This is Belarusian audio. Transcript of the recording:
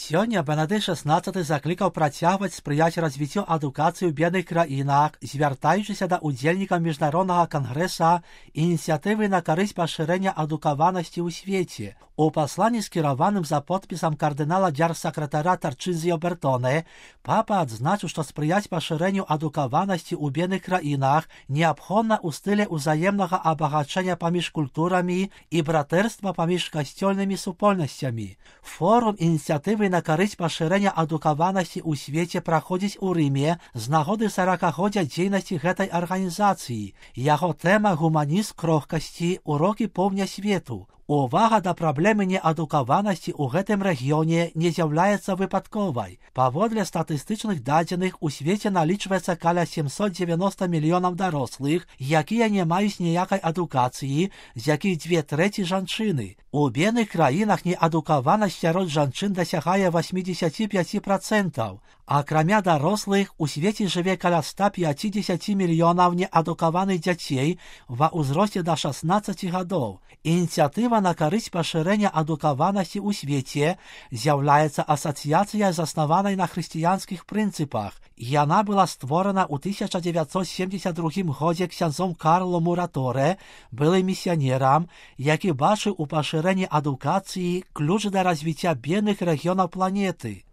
Сёння Бенедыкт XVI заклікаў працягваць спрыяць развіццю адукацыі ў бедных краінах, звяртаючыся да ўдзельнікаў міжнароднага кангрэса ініцыятывы на карысць пашырэння адукаванасці ў свеце. У пасланні, скіраваным за подпісам кардынала дзяржсакратара Тарчызіо Бертоне, папа адзначыў, што спрыяць пашырэнню адукаванасці ў бедных краінах неабходна ў стыле ўзаемнага абагачэння паміж культурамі і братэрства паміж касцёльнымі супольнасцямі. Форум ініцыятывы на карысць пашырэння адукаванасці ў свеце праходзіць у Рыме з нагоды 40-годдзя дзейнасці гэтай арганізацыі. Яго тэма гуманізм крохкасці, урокі поўдня свету. Увага да праблемы неадукаванасці ў гэтым рэгіёне не з'яўляецца выпадковай. Паводле статыстычных дадзеных, у свеце налічваецца каля 790 мільёнаў дарослых, якія не маюць ніякай адукацыі, з якіх 2/3 жанчыны. У бедных краінах неадукаванасць сярод жанчын дасягае 85%. Акрамя дарослых, у свеце жыве каля 150 мільёнаў неадукаваных дзяцей ва ўзросце да 16 гадоў. Ініцыятыва на карысць пашырэння адукаванасці ў свеце з'яўляецца асацыяцыяй, заснаванай на хрысціянскіх прынцыпах. Яна была створана ў 1972 годзе ксяндзом Карло Мураторе, былым місіянерам, які бачыў у пашырэнні адукацыі ключ да развіцця бедных рэгіёнаў планеты.